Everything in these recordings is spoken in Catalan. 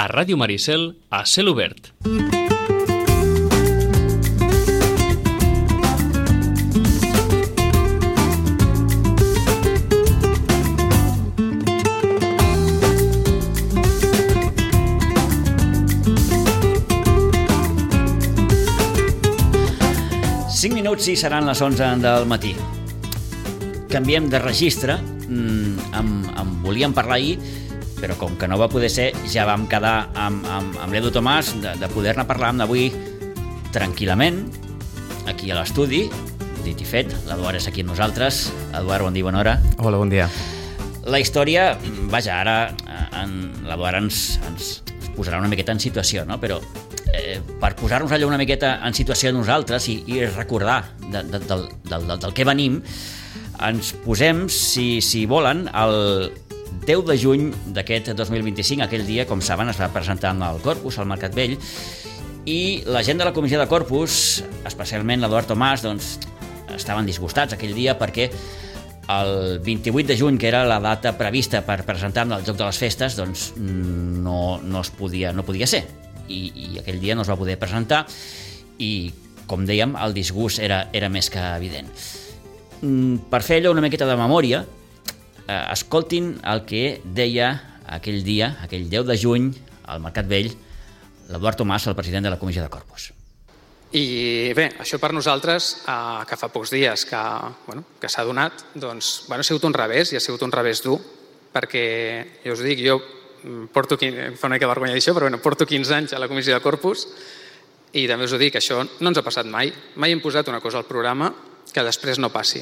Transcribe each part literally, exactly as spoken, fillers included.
Ràdio Maricel, a cel obert. cinc minuts i seran les onze del matí. Canviem de registre. En, en volíem parlar ahir, però com que no va poder ser, ja vam quedar amb, amb, amb l'Edu Tomàs de, de poder-ne parlar amb avui tranquil·lament, aquí a l'estudi. Dit i fet, l'Eduard és aquí amb nosaltres. Eduard, bon dia, bona hora. Hola, bon dia. La història, vaja, ara l'Eduard ens, ens posarà una miqueta en situació, no? Però eh, per posar-nos allò una miqueta en situació nosaltres i, i recordar de, de, del, del, del, del que venim, ens posem, si, si volen, el deu de juny d'aquest dos mil vint-i-cinc. Aquell dia, com saben, es va presentar al Corpus, al Mercat Vell, i la gent de la comissió de Corpus, especialment l'Eduard Tomàs, doncs, estaven disgustats aquell dia perquè el vint-i-vuit de juny, que era la data prevista per presentar el Joc de les Festes, doncs no, no, es podia, no podia ser. I, i aquell dia no es va poder presentar i, com dèiem, el disgust era, era més que evident. Per fer allò una miqueta de memòria, eh, escoltin el que deia aquell dia, aquell deu de juny, al Mercat Vell, l'Eduard Tomàs, el president de la comissió de Corpus. I bé, això per nosaltres, eh, que fa pocs dies que, bueno, que s'ha donat, doncs, bueno, ha sigut un revés, i ha sigut un revés dur, perquè, ja us dic, jo porto, fa una mica vergonya dir això, però bueno, porto quinze anys a la comissió de Corpus, i també us ho dic, això no ens ha passat mai. Mai hem posat una cosa al programa que després no passi.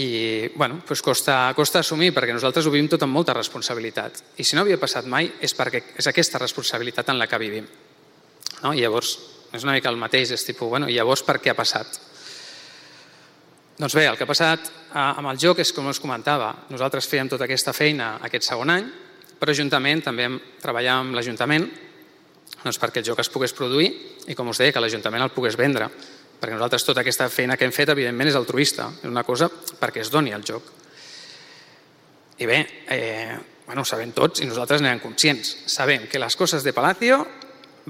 I, bueno, doncs costa, costa assumir, perquè nosaltres ho vivim tot amb molta responsabilitat. I si no havia passat mai és perquè és aquesta responsabilitat en la que vivim. No? I llavors, és una mica el mateix, és tipus, bueno, i llavors per què ha passat? Doncs bé, el que ha passat amb el joc és com us comentava, nosaltres fèiem tota aquesta feina aquest segon any, però juntament també treballàvem amb l'Ajuntament doncs perquè el joc es pogués produir i, com us deia, que l'Ajuntament el pogués vendre, perquè nosaltres tota aquesta feina que hem fet, evidentment, és altruista, és una cosa perquè es doni el joc. I bé, eh, bueno, ho sabem tots i nosaltres n'érem conscients. Sabem que les coses de Palacio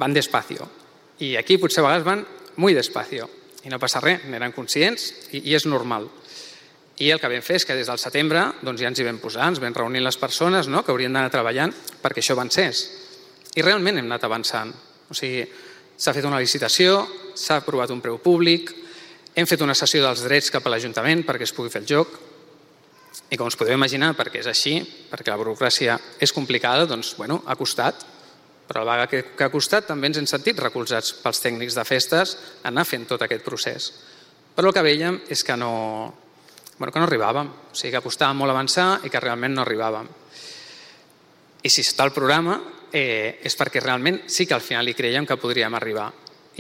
van despacio i aquí potser a vegades van muy despacio i no passa res, n'érem conscients i, i és normal. I el que vam fer és que des del setembre doncs ja ens hi vam posar, ens vam reunir les persones, no?, que haurien d'anar treballant perquè això avancés. I realment hem anat avançant. O sigui, s'ha fet una licitació, s'ha aprovat un preu públic, hem fet una cessió dels drets cap a l'Ajuntament perquè es pugui fer el joc. I com us podeu imaginar, perquè és així, perquè la burocràcia és complicada, doncs, bueno, ha costat. Però a la vegada que, que ha costat també ens hem sentit recolzats pels tècnics de festes a anar fent tot aquest procés. Però el que veiem és que no, bueno, que no arribàvem, o sigui que costava molt avançar i que realment no arribàvem. I si està el programa eh, és perquè realment sí que al final hi creiem que podríem arribar.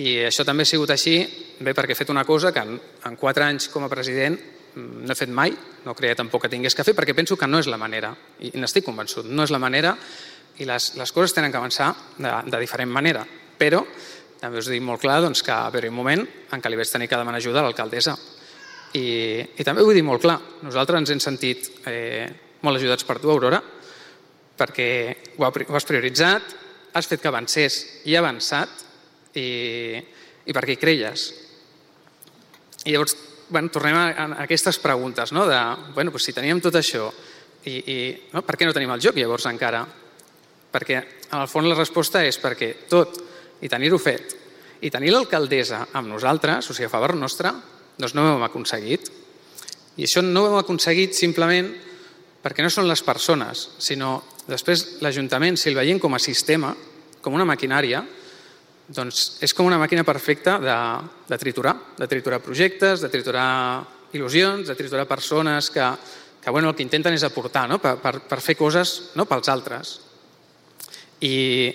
I això també ha sigut així, bé, perquè he fet una cosa que en, en quatre anys com a president no he fet mai, no creia tampoc que tingués que fer, perquè penso que no és la manera, i n'estic convençut, no és la manera, i les, les coses tenen que avançar de, de diferent manera. Però també us dic molt clar doncs, que va haver un moment en què li vaig tenir que demanar ajuda a l'alcaldessa. I, i també ho vull dir molt clar, nosaltres ens hem sentit eh, molt ajudats per tu, Aurora, perquè ho, ho has prioritzat, has fet que avancés i ha avançat, i, i perquè hi creies. I llavors, bueno, tornem a, a aquestes preguntes, no? De, bueno, doncs si teníem tot això, i, i no? Per què no tenim el joc llavors encara? Perquè, en el fons, la resposta és perquè tot, i tenir-ho fet, i tenir l'alcaldessa amb nosaltres, o sigui, a favor nostre, doncs no ho hem aconseguit. I això no ho hem aconseguit simplement perquè no són les persones, sinó després l'Ajuntament, si el veiem com a sistema, com una maquinària, doncs és com una màquina perfecta de, de triturar, de triturar projectes, de triturar il·lusions, de triturar persones que, que bueno, el que intenten és aportar, no? per, per, per fer coses, no? Pels altres. I,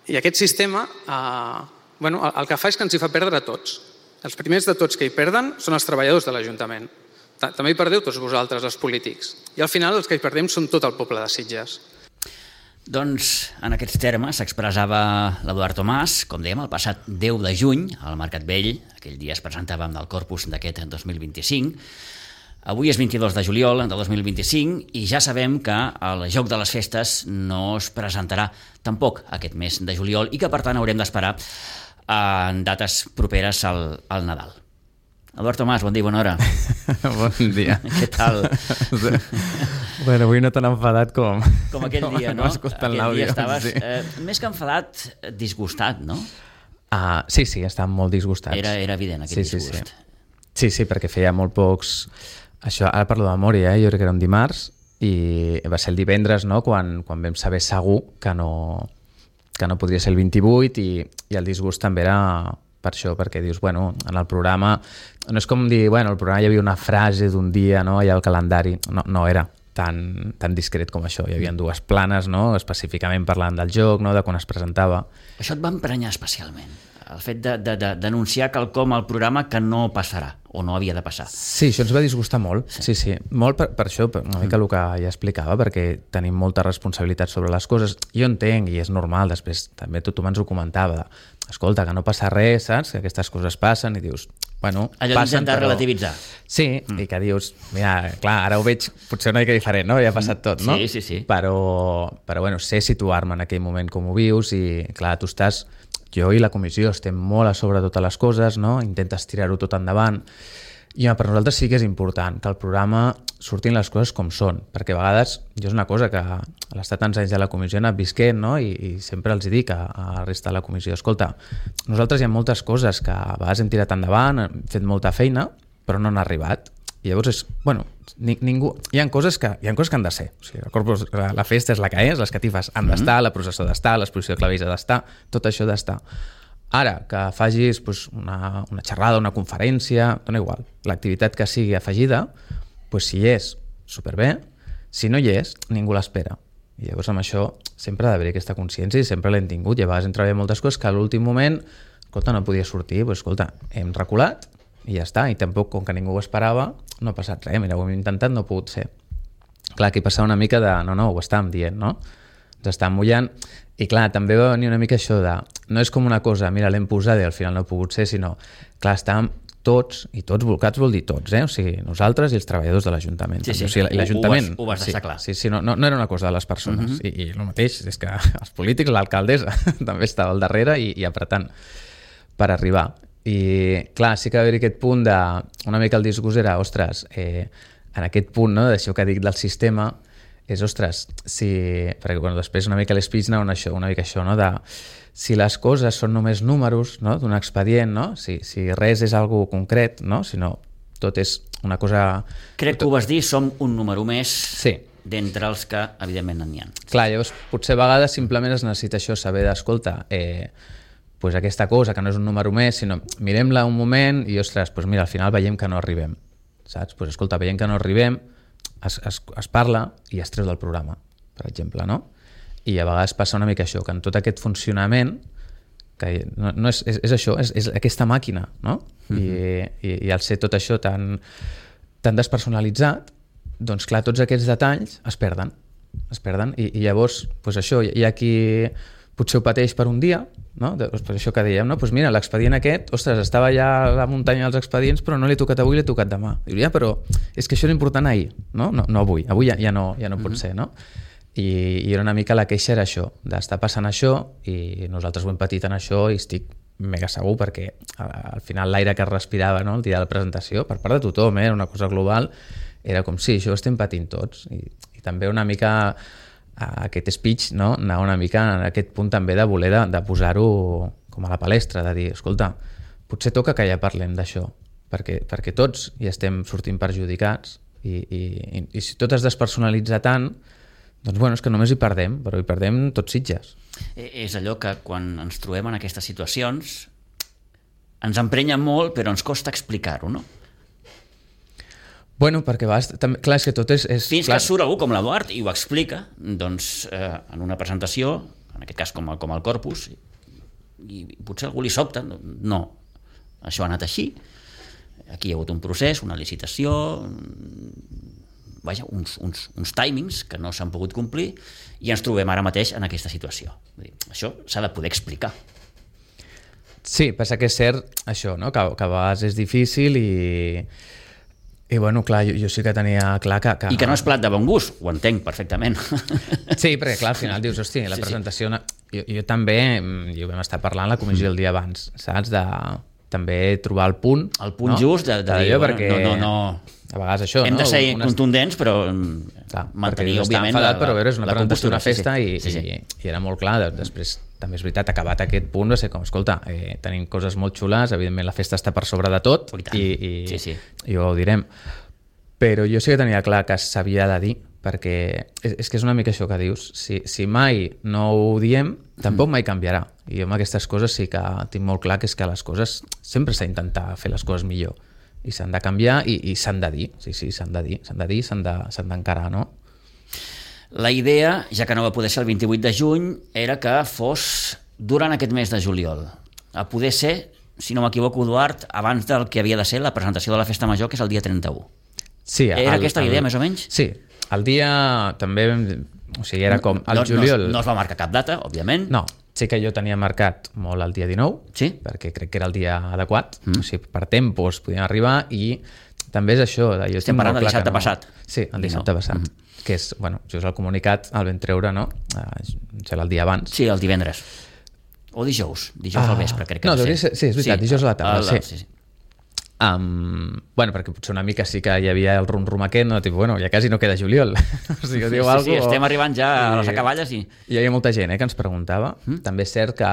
i aquest sistema eh, bueno, el, el que fa és que ens hi fa perdre a tots. Els primers de tots que hi perden són els treballadors de l'Ajuntament. També hi perdeu tots vosaltres, els polítics. I al final els que hi perdem són tot el poble de Sitges. Doncs en aquests termes s'expressava l'Eduard Tomàs, com dèiem, el passat deu de juny, al Mercat Vell. Aquell dia es presentava amb el Corpus d'aquest dos mil vint-i-cinc. Avui és vint-i-dos de juliol de dos mil vint-i-cinc i ja sabem que el Joc de les Festes no es presentarà tampoc aquest mes de juliol i que per tant haurem d'esperar en dates properes al, al Nadal. Eduard Tomàs, bon dia, bona hora. Bon dia. Què tal? Bueno, avui no tan enfadat com... Com aquell com dia, no? Aquell dia estaves sí. eh, més que enfadat, disgustat, no? Ah, sí, sí, estàvem molt disgustats. Era, era evident aquest sí, disgust. Sí, sí. sí, sí, perquè feia molt pocs... Això, ara parlo de memòria, eh? Jo crec que era un dimarts i va ser el divendres, no?, quan, quan vam saber segur que no, que no podria ser el vint-i-vuit i, i el disgust també era per això, perquè dius, bueno, en el programa no és com dir, bueno, el programa hi havia una frase d'un dia, no?, allà al calendari, no, no era tan, tan discret com això, hi havia dues planes, no?, específicament parlant del joc, no?, de quan es presentava. Això et va emprenyar especialment, el fet de, de, de denunciar quelcom al programa que no passarà o no havia de passar. Sí, això ens va disgustar molt, sí, sí, sí. Molt per, per això, per una mica el que ja explicava, perquè tenim molta responsabilitat sobre les coses. Jo entenc, i és normal, després també tothom ens ho comentava, escolta, que no passa res, saps? Que aquestes coses passen i dius, bueno, allò passen, d'intentar però... relativitzar. Sí, mm. i que dius, mira, clar, ara ho veig potser una mica diferent, no? Ja ha passat tot, no? Sí, sí, sí. Però, però bueno, sé situar-me en aquell moment com ho vius i, clar, tu estàs... Jo i la comissió estem molt a sobre totes les coses, no? Intentes tirar-ho tot endavant. I per nosaltres sí que és important que el programa surtin les coses com són, perquè a vegades, jo és una cosa que a l'estar tants anys de la comissió he anat visquent, no? I, i sempre els dic a, a la resta de la comissió, escolta, nosaltres hi ha moltes coses que a vegades hem tirat endavant, hem fet molta feina, però no han arribat. I llavors és, bueno, ni, ningú... Hi ha coses que hi ha coses que han de ser. O sigui, el corpus, la, la festa és la que és, les catifes han d'estar, mm-hmm. la processó d'estar, l'exposició de clavells ha d'estar, tot això ha d'estar. Ara, que facis pues, una, una xerrada, una conferència, dona igual. L'activitat que sigui afegida, pues, si hi és, superbé. Si no hi és, ningú l'espera. I llavors amb això sempre ha d'haver aquesta consciència i sempre l'hem tingut. I a vegades hem treballat moltes coses que a l'últim moment, escolta, no podia sortir, pues, escolta, hem reculat i ja està. I tampoc, com que ningú ho esperava, no ha passat res. Mira, ho hem intentat, no ha pogut ser. Clar, aquí passava una mica de... No, no, ho estàvem dient, no? Ens estàvem mullant. I clar, també va venir una mica això de... No és com una cosa, mira, l'hem posat i al final no ha pogut ser, sinó... Clar, estàvem tots, i tots volcats vol dir tots, eh? O sigui, nosaltres i els treballadors de l'Ajuntament. Sí, sí. O sigui, l'Ajuntament... Ho, ho, vas, ho vas deixar sí, clar. Sí, sí, no, no, no era una cosa de les persones. Uh-huh. I, I el mateix és que els polítics, l'alcaldessa, també estava al darrere i, i apretant per arribar. I clar, sí que va haver aquest punt de... Una mica el disgust era, ostres, eh, en aquest punt, no?, d'això que dic del sistema, és, ostres, si... Perquè, bueno, després una mica l'espeech anava una, això, una mica això, no?, de... Si les coses són només números, no?, d'un expedient, no?, si, si res és algo concret, no?, si no, tot és una cosa... Crec que ho vas dir, som un número més sí. d'entre els que, evidentment, n'hi ha. Clar, llavors, potser a vegades simplement es necessita això, saber d'escolta, eh, pues aquesta cosa que no és un número més, sinó mirem-la un moment i, ostres, pues mira, al final veiem que no arribem, saps? Pues escolta, veiem que no arribem, es, es, es parla i es treu del programa, per exemple, no? I a vegades passa una mica això, que en tot aquest funcionament, que no, no és, és, és això, és, és aquesta màquina, no? Mm-hmm. I, i, i al ser tot això tan, tan despersonalitzat, doncs clar, tots aquests detalls es perden, es perden, i, i llavors, pues això, hi ha qui potser ho pateix per un dia, no? Per això que dèiem, no? Pues mira, l'expedient aquest, ostres, estava allà a la muntanya dels expedients, però no l'he tocat avui, l'he tocat demà. Diu, ja, però és que això era important ahir, no? No, no avui, avui ja, ja no, ja no pot ser, no? I, i era una mica la queixa era això, d'estar passant això, i nosaltres ho hem patit en això i estic mega segur perquè al final l'aire que es respirava, no?, el dia de la presentació, per part de tothom, eh? Era una cosa global, era com sí, això ho estem patint tots. I, i també una mica aquest speech, no?, anava una mica en aquest punt també de voler de, de posar-ho com a la palestra, de dir, escolta, potser toca que ja parlem d'això, perquè, perquè tots hi estem sortint perjudicats i, i, i, i si tot es despersonalitza tant, doncs bueno, és que només hi perdem, però hi perdem tots Sitges. És allò que quan ens trobem en aquestes situacions ens emprenya molt, però ens costa explicar-ho, no? Bueno, perquè vas, també, clar, és que tot és... és Fins clar. que surt algú com l'Eduard i ho explica, doncs, eh, en una presentació, en aquest cas com el, com el Corpus, i, i potser algú li sobta, no, això ha anat així, aquí hi ha hagut un procés, una licitació, vaja, uns, uns, uns timings que no s'han pogut complir i ens trobem ara mateix en aquesta situació. Vull dir, això s'ha de poder explicar. Sí, passa que és cert això, no? que, que a vegades és difícil i... I bueno, clar, jo, jo sí que tenia clar que, que... I que no és plat de bon gust, ho entenc perfectament. Sí, perquè clar, al final dius, hosti, la Sí, sí. presentació... Jo, jo també, i ho vam estar parlant a la comissió el dia abans, saps? De també trobar el punt... El punt just de, de dir, d'allò, bueno, perquè no, no, no... A vegades això, Hem no? de ser Unes- contundents, però Clar, mantenir, perquè òbviament, enfadat, la, però a veure, és una la presentació compostura. d'una festa sí, i, sí, sí. i, i era molt clar. de- Després, també és veritat, acabat aquest punt, va ser com, escolta, eh, tenim coses molt xules, evidentment la festa està per sobre de tot Oh, i tant. i, i, Sí, sí. i ho direm. Però jo sí que tenia clar que s'havia de dir, perquè és, és que és una mica això que dius. Si, si mai no ho diem, tampoc mai canviarà. I jo amb aquestes coses sí que tinc molt clar que és que les coses sempre s'ha d'intentar fer les coses millor. I s'han de canviar i, i s'han de dir. Sí, sí, s'han de dir, s'han de dir, s'han de, s'han d'encarar, no? La idea, ja que no va poder ser el vint-i-vuit de juny, era que fos durant aquest mes de juliol. A poder ser, si no m'equivoco, Eduard, abans del que havia de ser la presentació de la Festa Major, que és el dia trenta-u. Sí, Era aquesta la idea, més o menys? Sí, el dia també, o sigui, era com el no, juliol... No, no es va marcar cap data, òbviament. No, sí que jo tenia marcat molt el dia dinou, Sí? perquè crec que era el dia adequat, mm. o sigui, per tempos podíem arribar i també és això. Jo Estem parlant molt del clar dissabte que no... passat. Sí, el dissabte dinou. passat, mm. que és, bueno, just el comunicat el vam treure, no? Uh, serà el dia abans. Sí, el divendres. O dijous, dijous Ah, al vespre, crec que no, va devia ser- sí, és veritat, dijous a la tarda, el- el- sí. sí, sí. Um, bueno, perquè potser una mica sí que hi havia el rum-rum aquest, no? Tipo, bueno, ja quasi no queda juliol. O sigui, Sí, diu sí, algo, sí, estem arribant ja a les i- acaballes i... Hi havia molta gent eh, que ens preguntava. Mm? També és cert que,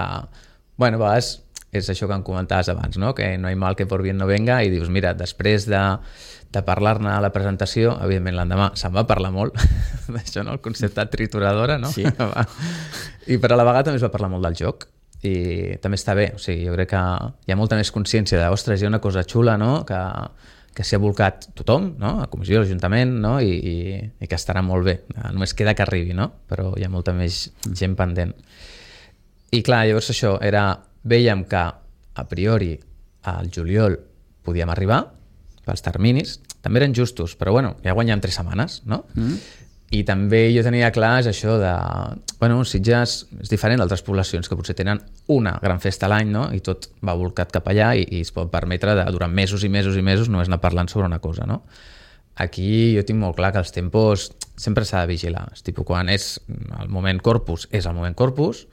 bueno, a vegades és això que em comentaves abans, no? Que no hi mal que por bien no venga, i dius, mira, després de, de parlar-ne a la presentació, evidentment l'endemà se'n va parlar molt d'això, no? El concepte trituradora, no? Sí. I per a la vegada també es va parlar molt del joc, i també està bé, o sigui, jo crec que hi ha molta més consciència de, ostres, hi ha una cosa xula, no?, que, que s'hi ha volcat tothom, no?, a comissió, a l'Ajuntament, no?, I, i, i que estarà molt bé, només queda que arribi, no?, però hi ha molta més gent pendent. I clar, llavors això era, vèiem que a priori al juliol podíem arribar pels terminis, també eren justos, però bueno, ja guanyem tres setmanes, no? Mm. I també jo tenia clar és això de... Bueno, Sitges és diferent d'altres poblacions que potser tenen una gran festa a l'any, no? I tot va volcat cap allà i, i es pot permetre de, durant mesos i mesos i mesos només anar parlant sobre una cosa, no? Aquí jo tinc molt clar que els tempos sempre s'ha de vigilar. És tipus, quan és el moment Corpus, és el moment Corpus,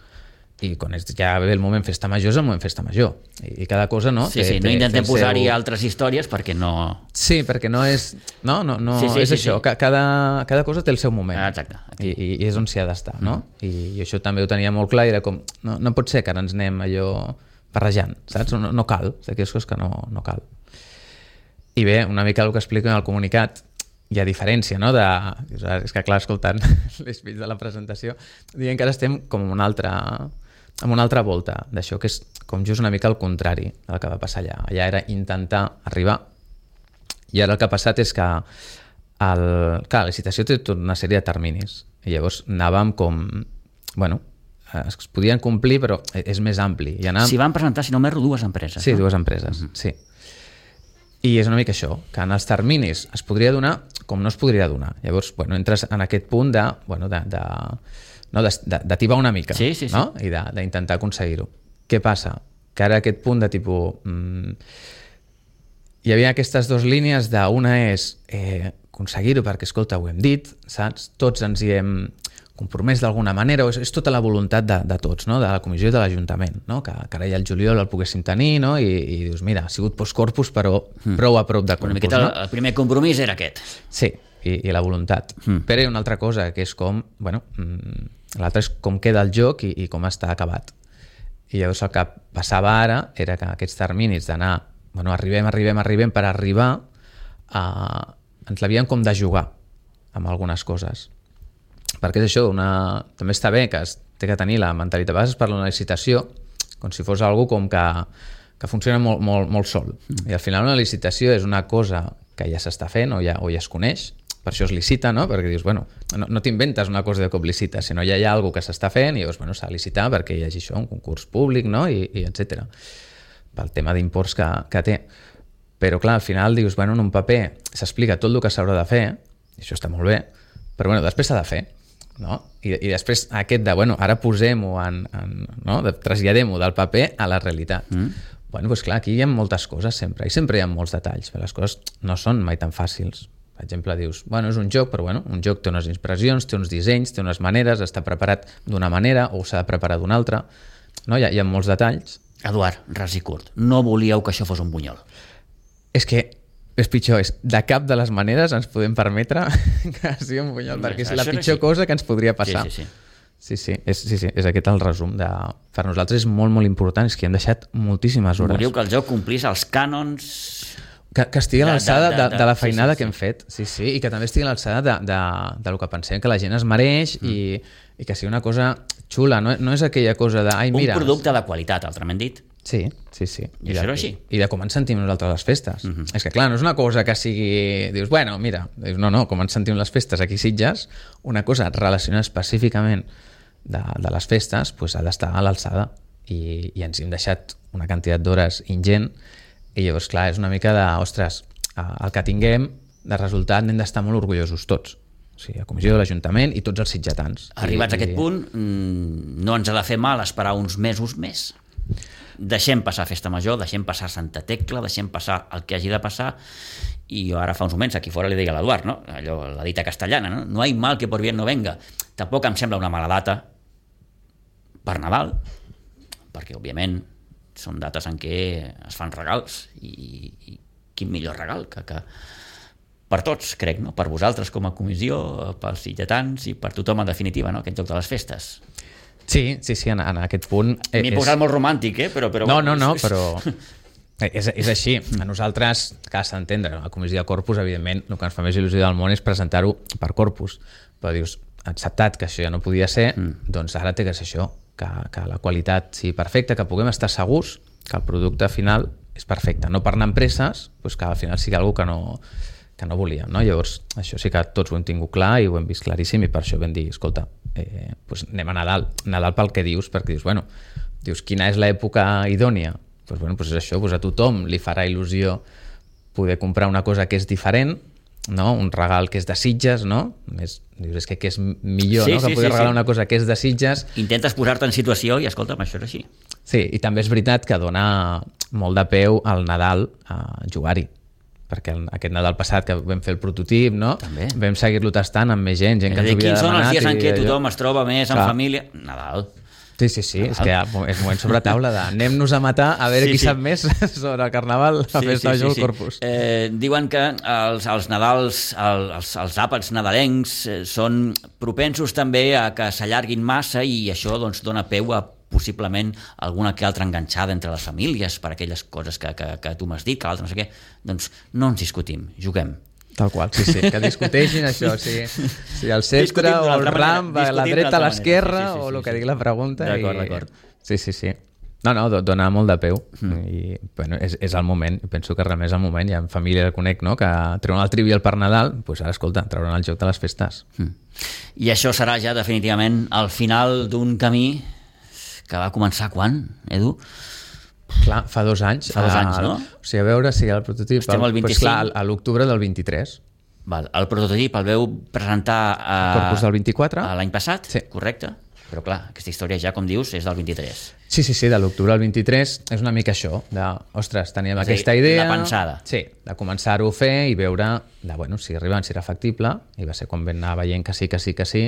i quan és ja ve el moment festa major és el moment festa major. I, i cada cosa, no? Sí, té, sí, no té, intentem té el posar-hi seu... altres històries perquè no... Sí, perquè no és... No, no, no Sí, sí, és sí, això. sí. Cada, cada cosa té el seu moment. Ah, exacte. I, i, i és on s'hi ha d'estar, no? I, I això també ho tenia molt clar i era com... No, no pot ser que ara ens anem allò barrejant, saps? No, no cal. D'aquelles coses que no, no cal. I bé, una mica el que explico en el comunicat, hi ha diferència, no? De... És que clar, escoltant l'espeech de la presentació, dient que ara estem com en una altra... amb una altra volta d'això, que és com just una mica el contrari del que va passar allà. Allà era intentar arribar, i ara el que ha passat és que el... clar, la licitació té tota una sèrie de terminis, i llavors anàvem com... bueno, es podien complir, però és més ampli. I anàvem... S'hi van presentar, si no m'erro, dues empreses. Sí, no? dues empreses, mm-hmm. sí. I és una mica això, que en els terminis es podria donar com no es podria donar. Llavors, bueno, entres en aquest punt de... Bueno, de, de no, d'ativar una mica, sí, sí, sí. no? I d'intentar aconseguir-ho. Què passa? Que ara aquest punt de tipus... Mmm, hi havia aquestes dues línies de una és eh, aconseguir-ho perquè, escolta, ho hem dit, saps? Tots ens hi hem compromès d'alguna manera, és, és tota la voluntat de, de tots, no? De la comissió i de l'Ajuntament, no? Que, que ara ja el juliol el poguéssim tenir, no? I, i dius, mira, ha sigut post-corpus, però mm. prou a prop de corpus, una miqueta, no? El primer compromís era aquest. Sí, i, i la voluntat. Mm. Però hi ha una altra cosa, que és com... Bueno, mm, l'altre és com queda el joc i, i com està acabat. I llavors el que passava ara era que aquests terminis d'anar... Bueno, arribem, arribem, arribem, per arribar a... Ens l'havíem com de jugar amb algunes coses. Perquè és això, una... també està bé que es té que tenir la mentalitat. A vegades es parla d'una licitació com si fos algo com que, que funciona molt, molt, molt sol. Mm. I al final una licitació és una cosa que ja s'està fent o ja, o ja es coneix, per això es licita, no? Perquè dius, bueno, no, no t'inventes una cosa de cop licita, sinó ja hi ha alguna que s'està fent i llavors, bueno, s'ha de licitar perquè hi hagi això, un concurs públic, no? I, i etcètera. Pel tema d'imports que, que té. Però clar, al final dius, bueno, en un paper s'explica tot el que s'haurà de fer, i això està molt bé, però bueno, després s'ha de fer, no? I, i després aquest de, bueno, ara posem-ho en, en no? De, traslladem-ho del paper a la realitat. Mm. Bueno, doncs clar, aquí hi ha moltes coses sempre, i sempre hi ha molts detalls, però les coses no són mai tan fàcils. Per exemple, dius, bueno, és un joc, però bueno, un joc té unes inspiracions, té uns dissenys, té unes maneres, està preparat d'una manera o s'ha de preparar d'una altra. No? Hi ha, hi ha molts detalls. Eduard, ras i curt, no volíeu que això fos un bunyol? És que és pitjor, és de cap de les maneres ens podem permetre que sigui un bunyol, Hombre, perquè és la això era pitjor així. cosa que ens podria passar. Sí, sí, sí. Sí, sí, és, sí, sí, és aquest el resum. De... Per nosaltres és molt, molt important, és que hi hem deixat moltíssimes hores. Volíeu que el joc complís els cànons... Que, que estigui a De- l'alçada de- de, de- de, de- de la sí, feinada sí, que hem fet, sí, sí, i que també estigui a l'alçada de, de, de lo que pensem que la gent es mereix mm. i, i que sigui una cosa xula, no, no és aquella cosa de... Ai, mira, Un producte de qualitat, altrament dit. Sí, sí, sí. I això de, era així. I de com ens sentim nosaltres a les festes. Mhm. És que clar, no és una cosa que sigui... Dius, bueno, mira, dius, no, no, com ens sentim les festes aquí a Sitges, una cosa relacionada específicament de, de les festes, pues, ha d'estar a l'alçada. I, I ens hem deixat una quantitat d'hores ingent i llavors, clar, és una mica de, ostres, el que tinguem de resultat n'hem d'estar molt orgullosos tots. O sigui, la comissió de l'Ajuntament i tots els sitgetans. Arribats I, a aquest punt, mm, no ens ha de fer mal esperar uns mesos més. Deixem passar Festa Major, deixem passar Santa Tecla, deixem passar el que hagi de passar, i jo ara fa uns moments aquí fora li deia a l'Eduard, no? Allò, la dita castellana, no? No hay mal que por bien no venga. Tampoc em sembla una mala data per Nadal, perquè òbviament són dates en què es fan regals, i, i quin millor regal que, que per tots, crec, no? Per vosaltres com a comissió, pels sitgetans i per tothom en definitiva, no? Aquest joc de les festes. Sí, sí, sí, en, en aquest punt... M'he és... posat molt romàntic, eh? Però, però... No, no, no, però és, és així. A nosaltres, que has d'entendre, a la comissió de Corpus, evidentment, el que ens fa més il·lusió del món és presentar-ho per Corpus. Però dius, acceptat que això ja no podia ser, mm. doncs ara té que ser això, que, que la qualitat sigui perfecta, que puguem estar segurs que el producte final és perfecte. No per anar amb presses, doncs que al final sigui alguna que no, que no volíem. No? Llavors, això sí que tots ho hem tingut clar i ho hem vist claríssim, i per això vam dir, escolta, eh, doncs anem a Nadal. Nadal pel que dius, perquè dius, bueno, dius, quina és l'època idònia? Doncs, bueno, doncs és això, doncs a tothom li farà il·lusió poder comprar una cosa que és diferent, no? Un regal que és de Sitges, no? Més, dius, és que, que és millor, Sí, no? Que sí, poder sí, regalar sí. una cosa que és de Sitges. Intentes posar-te en situació i, escolta'm, això és així. Sí, i també és veritat que dona molt de peu al Nadal a jugar-hi, perquè el, aquest Nadal passat que vam fer el prototip, no? També. Vam seguir-lo tastant amb més gent, gent que ens Dir, ho havia quins són els demanat. dies en i què allò. tothom es troba més en Clar. família? Nadal. Sí, sí, sí, és que ja, és moment sobre taula de anem-nos a matar a veure Sí, qui sí. sap més sobre el Carnaval, la festa major del Corpus. Eh, diuen que els, els Nadals, el, els, els àpats nadalencs eh, són propensos també a que s'allarguin massa, i això doncs, dona peu a possiblement alguna que altra enganxada entre les famílies per aquelles coses que, que, que tu m'has dit, que l'altre no sé què. Doncs no ens discutim, juguem. Tal qual, sí, sí, que discuteixin això, o sigui, si el centre Discutim d'una o el altra manera, ram va a la discutim dreta, a d'altra l'esquerra, manera, sí, sí, sí, o el sí, que sí. digui la pregunta. D'acord, i... d'acord. Sí, sí, sí. No, no, do- dona molt de peu, mm. i bueno, és, és el moment, penso que realment és el moment, hi ha família que conec, no?, que treuen el Trivial per Nadal, doncs pues ara, escolta, trauran el joc de les festes. Mm. I això serà ja definitivament el final d'un camí que va començar quan, Edu? Clar, fa dos anys. Fa dos anys, el, no? O sigui, a veure si el prototip... Estem al Pues vint-i-cinc. clar, a l'octubre del vint-i-tres. Val. El prototip el veu presentar a... Corpus del vint-i-quatre. a l'any passat, Sí. correcte? Però clar, aquesta història ja, com dius, és del vint-i-tres. Sí, sí, sí, de l'octubre al vint-i-tres és una mica això, de, ostres, teníem És a dir, aquesta idea... la pensada. Sí, de començar-ho a fer i veure de, bueno, si arribant, si era factible, i va ser quan vam anar veient que sí, que sí, que sí.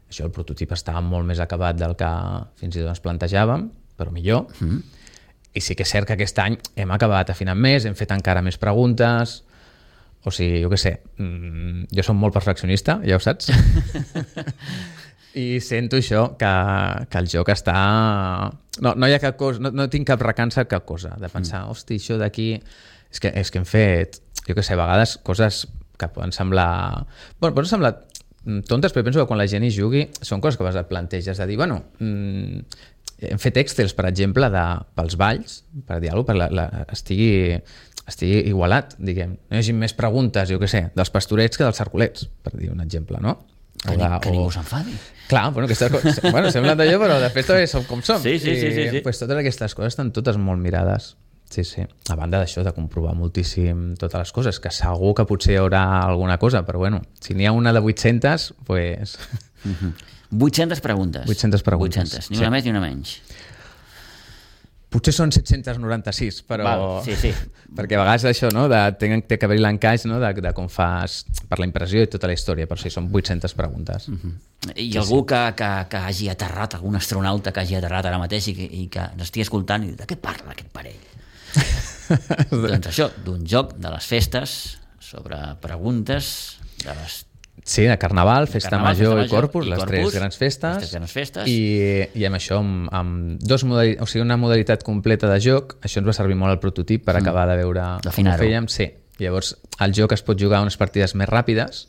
Això, el prototip estava molt més acabat del que fins i tot ens plantejàvem, però millor. Mm. I sí que és cert que aquest any hem acabat afinant més, hem fet encara més preguntes, o sigui, jo què sé, mm, jo som molt perfeccionista, ja ho saps? I sento això, que, que el joc està... No, no hi ha cap cosa, no, no tinc cap recança cap cosa, de pensar, mm. hosti, això d'aquí... És que, és que hem fet, jo què sé, a vegades coses que poden semblar... Bueno, poden semblar tontes, però penso que quan la gent hi jugui són coses que vas et planteges, de dir, bueno... Mm, hem fet excels, per exemple, de, pels balls, per dir alguna cosa, per la, la, estigui, estigui igualat, diguem. No hi hagi més preguntes, jo què sé, dels pastorets que dels cercolets, per dir un exemple, no? Que, de, que ningú s'enfadi. Clar, bueno, aquestes coses, bueno, semblen d'allò, però de fet també som com som. Sí, sí, sí, sí, sí. I, pues, totes aquestes coses estan totes molt mirades. Sí, sí. A banda d'això, de comprovar moltíssim totes les coses, que segur que potser hi haurà alguna cosa, però bueno, si n'hi ha una de vuit-centes, pues... Mm-hmm. vuit-centes preguntes. vuit-centes preguntes. vuit-centes, ni sí. una més ni una menys. Potser són set-cents noranta-sis, però... Val, sí, sí. Perquè a vegades això, no? De, té, té que haver-hi l'encaix, no? de, de com fas per la impressió i tota la història, però sí, són vuit-centes preguntes. Uh-huh. I sí, algú sí. Que, que, que hagi aterrat, algun astronauta que hagi aterrat ara mateix i que, i que n'estigui escoltant i de què parla aquest parell? Doncs això, d'un joc de les festes sobre preguntes de les... Sí, de Carnaval, Festa Carnaval, Major, Festa Major i Corpus, i les Corpus, tres grans festes, les tres grans festes. I, i amb això, amb, amb dos modalitats, o sigui, una modalitat completa de joc, això ens va servir molt al prototip per mm. acabar de veure com ho fèiem. Sí. Llavors, el joc es pot jugar a unes partides més ràpides,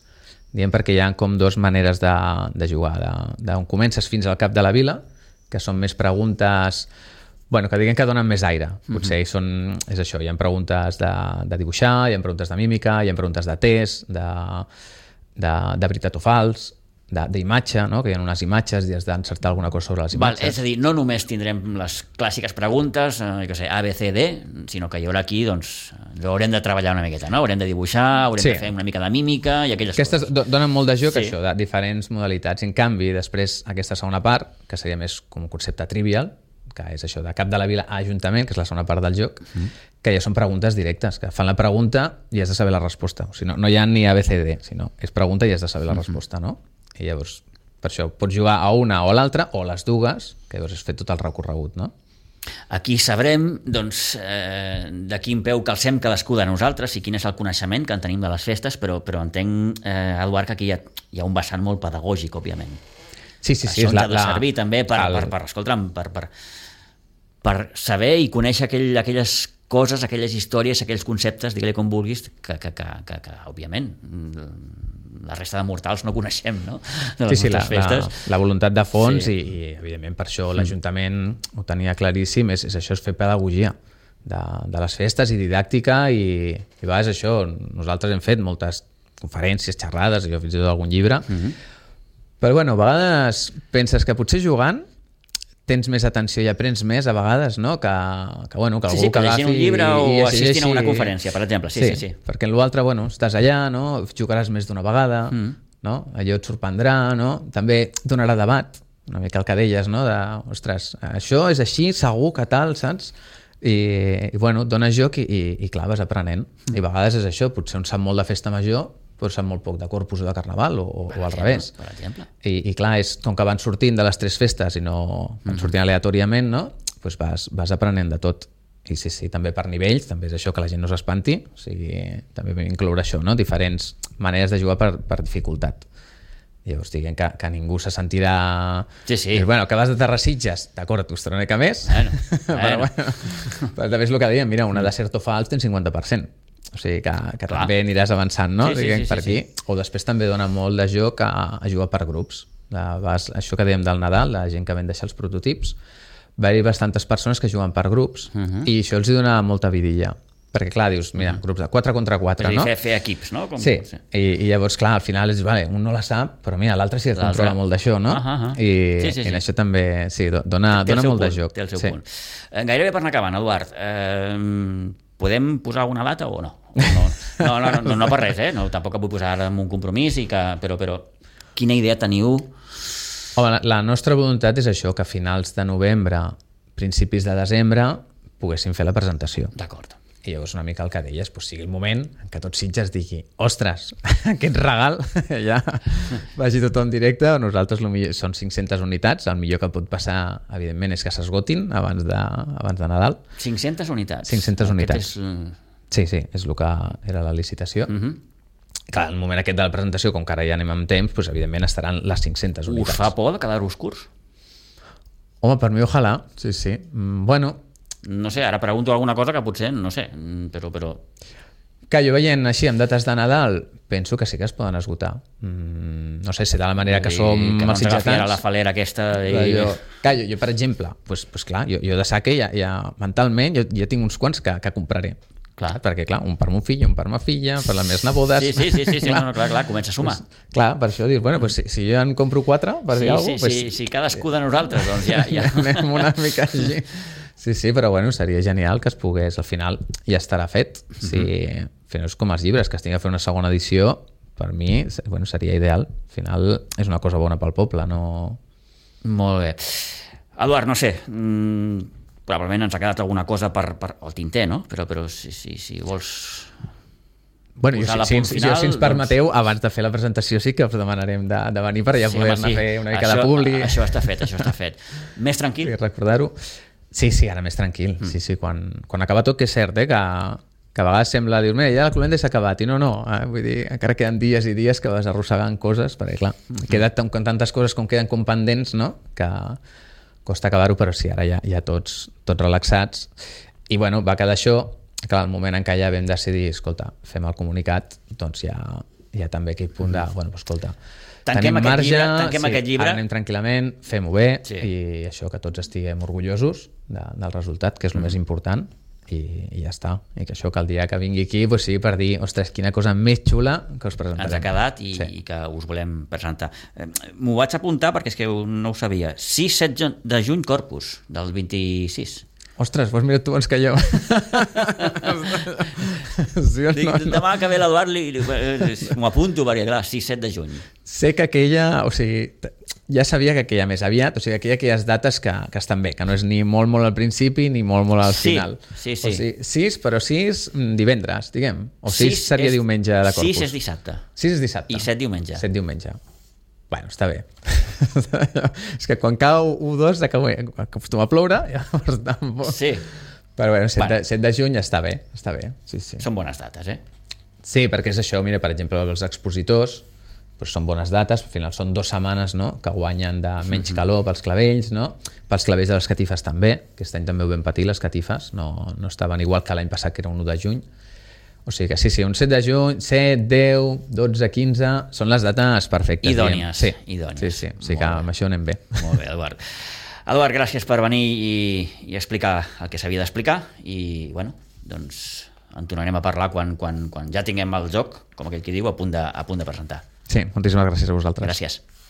diem perquè hi ha com dues maneres de, de jugar, d'on comences fins al cap de la vila, que són més preguntes... Bueno, que diguem que donen més aire. Potser mm-hmm. són, és això, hi ha preguntes de, de dibuixar, hi ha preguntes de mímica, hi ha preguntes de test, de... De, de veritat o fals, d'imatge, no? Que hi ha unes imatges i has d'encertar alguna cosa sobre les imatges. Val, és a dir, no només tindrem les clàssiques preguntes, eh, que sé, A, B, C, D, sinó que hi haurà aquí, doncs, haurem de treballar una miqueta, no? Haurem de dibuixar, haurem sí. de fer una mica de mímica i aquelles Aquestes coses. Aquestes donen molt de joc, sí. això, de diferents modalitats. En canvi, després, aquesta segona part, que seria més com un concepte trivial, que és això, de cap de la vila a ajuntament, que és la segona part del joc, mm. que ja són preguntes directes, que fan la pregunta i has de saber la resposta. O sigui, no, no hi ha ni A, B, C, D, sinó és pregunta i has de saber la mm-hmm. resposta, no? I llavors, per això, pots jugar a una o a l'altra, o a les dues, que llavors has fet tot el recorregut, no? Aquí sabrem, doncs, eh, de quin peu calcem cadascú de nosaltres i quin és el coneixement que en tenim de les festes, però, però entenc, eh, Eduard, que aquí hi ha, hi ha un vessant molt pedagògic, òbviament. Sí, sí, sí. Això és la, ens ha de servir la, també per, el... per, per, escolta'm, per, per, per saber i conèixer aquell, aquelles coses, aquelles històries, aquells conceptes, digue-li com vulguis, que, que, que, que, que òbviament la resta de mortals no coneixem, no? De les sí, sí, la, festes. La, la voluntat de fons sí. i, i evidentment per això l'Ajuntament ho tenia claríssim, és, és això, és fer pedagogia de, de les festes i didàctica i, i a vegades això, nosaltres hem fet moltes conferències, xerrades, jo fins i tot algun llibre, mm-hmm. però bueno, a vegades penses que potser jugant tens més atenció i aprens més a vegades, no? Que, que, bueno, que algú sí, sí, que agafi... un llibre o i assistint a una conferència, per exemple. Sí, sí, sí. sí. Perquè en l'altre, bueno, estàs allà, no? Jugaràs més d'una vegada, mm. no? Allò et sorprendrà, no? També donarà debat, una mica el que deies, no? De, ostres, això és així, segur que tal, saps? I, i bueno, et dones joc i, i, i clar, vas aprenent. Mm. I a vegades és això, potser un sap molt de festa major, però sap molt poc de Corpus o de Carnaval o, o al revés. Per exemple. I, I clar, és, com que van sortint de les tres festes i no van sortint aleatòriament, no? Pues vas, vas aprenent de tot. I sí, sí, també per nivells, també és això, que la gent no s'espanti, o sigui, també vam incloure això, no? Diferents maneres de jugar per, per dificultat. Llavors diguem que, que ningú se sentirà... Sí, sí. Dius, bueno, que vas de Terrasitges, d'acord, et costarà una mica més, bueno, però bueno. bueno, però també és el que dèiem, mira, una de Certo Fals tens cinquanta per cent. O sigui que, que també aniràs avançant, no? Sí, sí, Diguem, sí, per sí, aquí. Sí. O després també dona molt de joc a, a jugar per grups. De, vas, això que dèiem del Nadal, la gent que ven deixar els prototips, va haver bastantes persones que juguen per grups uh-huh. i això els hi dona molta vidilla. Perquè clar, dius, mira, uh-huh. grups de quatre contra quatre, no? no? Fer, fer equips, no? Com... Sí, I, i llavors, clar, al final és, vale, un no la sap, però mira, l'altre sí que controla molt d'això, no? Uh-huh. I, sí, sí, sí. i això també, sí, dona, dona molt punt, de joc. Té el seu sí. punt. Gairebé per anar acabant, Eduard, eh, podem posar alguna data o no? No, no, no, no, no per res, eh? No, tampoc vull posar ara en un compromís, i que, però, però quina idea teniu? Home, la, la nostra voluntat és això, que a finals de novembre, principis de desembre, poguéssim fer la presentació. D'acord. I llavors una mica el que deies, doncs sigui el moment en què tot Sitges digui, ostres, aquest regal ja vagi tothom directe, nosaltres millor, són cinc-centes unitats, el millor que pot passar, evidentment, és que s'esgotin abans de, abans de Nadal. cinc-centes unitats? cinc-centes unitats. És... Sí, sí, és el que era la licitació. Uh-huh. Clar, el moment aquest de la presentació, com que ara ja anem amb temps, doncs, evidentment estaran les cinc-centes unitats. Us fa por de quedar-vos curts? Home, per mi ojalà, sí, sí. Mm, bueno... No sé, ara pregunto alguna cosa que potser, no sé, però... però... Que jo veient així, amb dates de Nadal, penso que sí que es poden esgotar. Mm, no sé, si de la manera que som que no els ens agafi sitgetans... ara la falera aquesta... I... Jo, clar, jo, jo, per exemple, pues, pues clar, jo, jo de saque ja, ja mentalment jo, ja tinc uns quants que, que compraré. Clar. Perquè, clar, un per mon fill, un per ma filla, per les meves nebodes... Sí, sí, sí, sí, sí, clar. No, no, clar, clar, comença a sumar. Pues, clar, per això dius, bueno, pues, si, si jo en compro quatre, per sí, dir alguna sí, cosa... Sí, pues, sí, cadascú de nosaltres, doncs ja... ja... Anem una mica així. Sí, sí, però bueno, seria genial que es pogués, al final ja estarà fet. Si, uh-huh. Al final és com els llibres, que es tingui a fer una segona edició, per mi bueno, seria ideal. Al final és una cosa bona pel poble, no... Molt bé. Eduard, no sé, mmm, probablement ens ha quedat alguna cosa per, per el tinter, no? Però, però si, si, si vols... Bueno, jo, si, si, final, jo, si ens permeteu, doncs... abans de fer la presentació sí que us demanarem de, de venir per allà sí, poder-ne sí. fer una mica això, de publi. Això està fet, això està fet. Més tranquil? Sí, recordar-ho. Sí, sí, ara més tranquil. Mm. Sí, sí, quan, quan acaba tot, que és cert, eh, que, que a vegades sembla dir, mira, ja la cloenda s'ha acabat, i no, no, eh? Vull dir, encara queden dies i dies que vas arrossegant coses, perquè clar, mm -hmm. queda com tantes coses com queden com pendents, no?, que costa acabar-ho, però sí, ara ja, ja tots, tots relaxats. I bueno, va quedar això. Clar, el moment en què ja vam decidir, escolta, fem el comunicat, doncs ja, ja també aquell punt de, bueno, escolta, tanquem tenim marge, llibre, tanquem sí, aquest llibre. Ara anem tranquil·lament, fem-ho bé, sí. i això, que tots estiguem orgullosos de, del resultat, que és el mm. més important, i, i ja està. I que això, que el dia que vingui aquí pues, sigui per dir, ostres, quina cosa més xula que us presentarem. Ens ha quedat i, sí. i que us volem presentar. Eh, M'ho vaig apuntar perquè és que no ho sabia. sis set de juny Corpus, del vint-i-sis. Ostres, doncs mira tu abans que jo. Sí, no, no. Demà que ve l'Eduard m'ho apunto perquè clar, sis set de juny. Sé que aquella, o sigui, ja sabia que aquella més aviat, o sigui, aquella aquelles dates que, que estan bé, que no és ni molt molt al principi ni molt molt al sí, final. Sí, sí. O sigui, sis, però sis divendres, diguem. O sis, sis seria és, diumenge de Corpus. sis és dissabte. sis és dissabte. I set diumenge. set diumenge. Bueno, està bé. És que quan cau u dos acostuma a ploure. Llavors, tampoc... Sí. Però bueno, set, bueno. De, set de juny està bé. Està bé. Sí, sí. Són bones dates, eh? Sí, perquè és això. Mira, per exemple, els expositors doncs són bones dates. Al final són dues setmanes, no?, que guanyen de menys calor pels clavells, no? Pels clavells de les catifes també. Aquest any també ho vam patir, les catifes. No, no estaven igual que l'any passat, que era un u de juny. O sigui que sí, sí, un set de juny, set, deu, dotze, quinze, són les dates perfectes. Idònies. Sí, idònies. sí, sí, sí que amb això anem bé. Molt bé, Eduard. Eduard, gràcies per venir i, i explicar el que s'havia d'explicar i, bueno, doncs en tornarem a parlar quan, quan, quan ja tinguem el joc, com aquell qui diu, a punt de, a punt de presentar. Sí, moltíssimes gràcies a vosaltres. Gràcies.